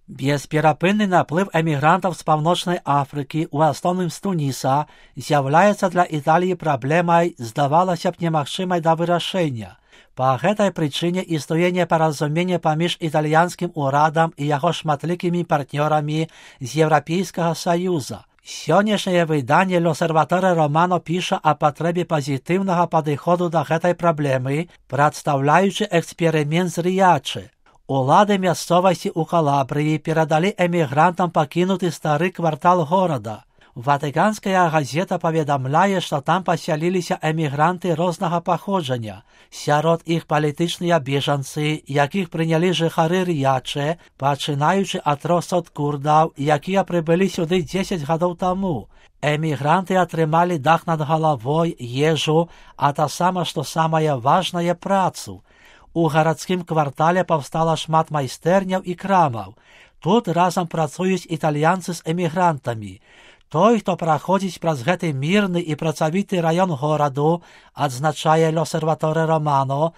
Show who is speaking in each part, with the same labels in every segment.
Speaker 1: Бесперапынны наплыв эмігрантаў з Паўночнай Афрыкі, у асноўным з Туніса, з'яўляецца для Італіі праблемай, здавалася б, немагчымай да вырашэння. Па гэтай прычыне існуе непаразуменне паміж італьянскім урадам і яго шматлікімі партнёрамі з Еўрапейскага Саюза. Сённяшняе выданне «L'Osservatore Romano» піша о патрэбе пазітыўнага падыходу да гэтай праблемы, прадстаўляючы эксперымент з Рыячы. Улады мясцовасці ў Калабрыі перадалі эмігрантам пакінуты стары квартал горада. Ватыканская газета паведамляе, што там пасяліліся эмігранты рознага паходжання. Сярод іх палітычныя бежанцы, якіх прынялі жыхары Рыячы, пачынаючы ад 300 курдаў, якія прыбылі сюды 10 гадоў таму. Эмігранты атрымалі дах над галавой, ежу, а таксама, што самае важнае, працу. У гарадскім квартале паўстала шмат майстэрняў і крамаў. Тут разам працуюць італьянцы з эмігрантамі. Той, хто праходзіць праз гэты мірны і працавіты раён гораду, адзначае «L'Osservatore Romano»,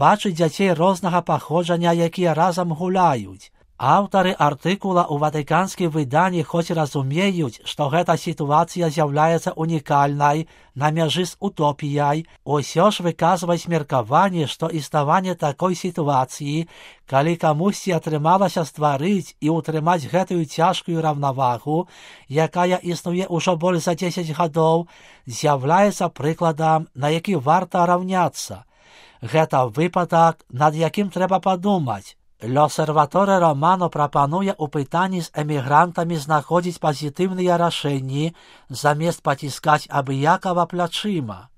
Speaker 1: бачыць дзяцей рознага паходжання, якія разам гуляюць. Аўтары артыкула ў ватыканскім выданні хоць разумеюць, што гэта сітуацыя з'яўляецца унікальнай, на мяжы з утопіяй, усё ж выказваюць меркаванне, што існаванне такой сітуацыі, калі камусьці атрымалася стварыць і ўтрымаць гэтую цяжкую раўнавагу, якая існуе ўжо больш за 10 гадоў, з'яўляецца прыкладам, на які варта раўняцца. Гэта выпадак, над якім трэба падумаць. «L'Osservatore Romano» прапануе ў пытанні з эмігрантамі знаходзіць пазітыўныя рашэнні, замест паціскаць абыякава плячыма.